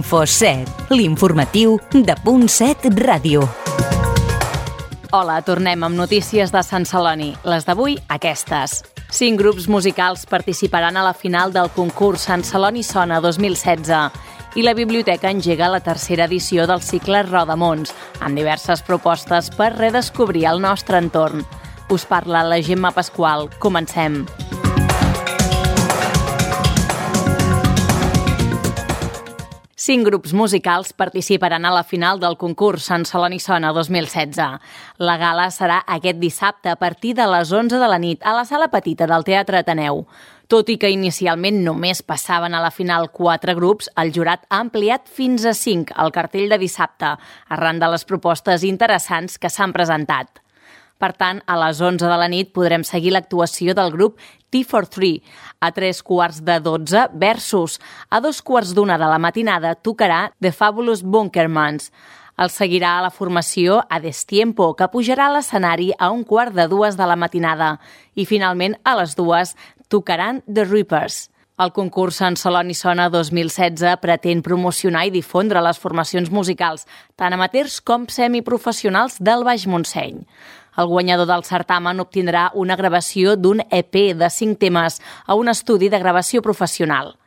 Info7, l'informatiu de .7 Ràdio. Hola, tornem amb notícies de Sant Celoni. Les d'avui, aquestes. 5 grups musicals participaran a la final del concurs Sant Celoni Sona 2016 i la Biblioteca engega la tercera edició del cicle Rodamons, amb diverses propostes per redescobrir el nostre entorn. Us parla la Gemma Pasqual. Comencem. Cinc grups musicals participaran a la final del concurs Sant Celoni Sona 2016. La gala serà aquest dissabte a partir de les 11 de la nit a la sala petita del Teatre Ateneu. Tot i que inicialment només passaven a la final 4 grups, el jurat ha ampliat fins a 5 el cartell de dissabte, arran de les propostes interessants que s'han presentat. Per tant, a les 11 de la nit podrem seguir l'actuació del grup T43. A 11:45 versus. A 2:15 de la matinada tocarà The Fabulous Bunkermans. El seguirà a la formació A Destiempo, que pujarà a l'escenari a 1:15 de la matinada. I finalment, a les 2 tocaran The Reapers. El concurs Sant Celoni Sona 2016 pretén promocionar i difondre les formacions musicals, tant amateurs com semiprofessionals del Baix Montseny. El guanyador del certamen obtindrà una gravació d'un EP de 5 temes a un estudi de gravació professional.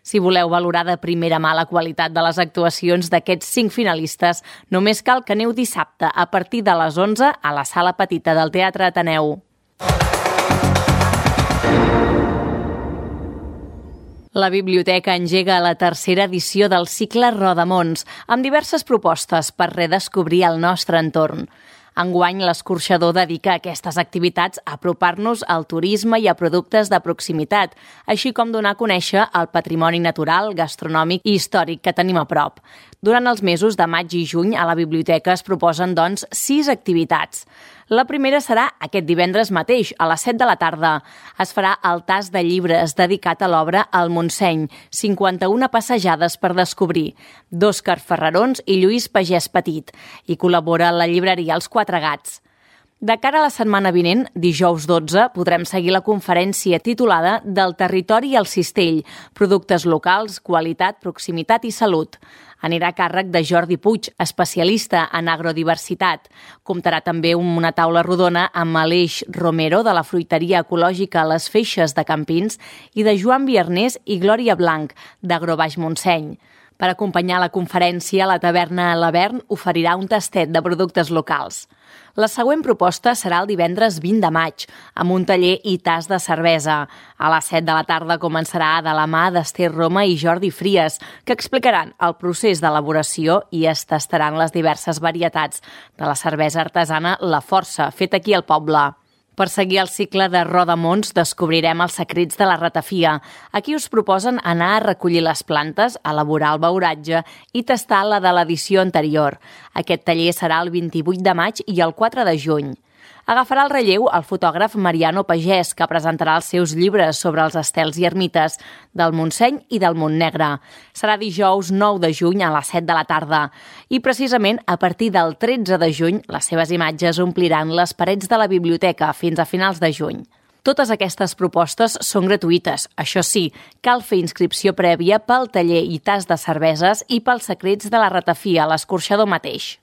Si voleu valorar de primera mà la qualitat de les actuacions d'aquests 5 finalistes, només cal que aneu dissabte a partir de les 11 a la sala petita del Teatre Ateneu. La Biblioteca engega la tercera edició del cicle Rodamons, amb diverses propostes per redescobrir el nostre entorn. Enguany, l'escorxador dedica aquestes activitats a apropar-nos al turisme i a productes de proximitat, així com donar a conèixer el patrimoni natural, gastronòmic i històric que tenim a prop. Durant els mesos de maig i juny, a la biblioteca es proposen, doncs, 6 activitats. La primera serà aquest divendres mateix, a les 7 de la tarda. Es farà el tast de llibres dedicat a l'obra El Montseny, 51 passejades per descobrir, d'Òscar Ferrarons i Lluís Pagès Petit, i col·labora la llibreria Els Quatre Gats. De cara a la setmana vinent, dijous 12, podrem seguir la conferència titulada Del territori al cistell, productes locals, qualitat, proximitat i salut. Anirà a càrrec de Jordi Puig, especialista en agrodiversitat. Comptarà també una taula rodona amb Aleix Romero, de la fruiteria ecològica Les Feixes de Campins, i de Joan Viernés i Glòria Blanc, d'Agrobaix Montseny. Per acompanyar la conferència, la taverna L'Avern oferirà un tastet de productes locals. La següent proposta serà el divendres 20 de maig, amb un taller i tast de cervesa. A les 7 de la tarda començarà de la mà d'Ester Roma i Jordi Fries, que explicaran el procés d'elaboració i es tastaran les diverses varietats de la cervesa artesana La Força, feta aquí al poble. Per seguir el cicle de Rodamons descobrirem els secrets de la ratafia. Aquí us proposen anar a recollir les plantes, elaborar el beuratge i tastar la de l'edició anterior. Aquest taller serà el 28 de maig i el 4 de juny. Agafarà el relleu el fotògraf Mariano Pagès, que presentarà els seus llibres sobre els estels i ermites del Montseny i del Montnegre. Serà dijous 9 de juny a les 7 de la tarda. I precisament a partir del 13 de juny les seves imatges ompliran les parets de la biblioteca fins a finals de juny. Totes aquestes propostes són gratuïtes. Això sí, cal fer inscripció prèvia pel taller i tast de cerveses i pels secrets de la ratafia a l'escorxador mateix.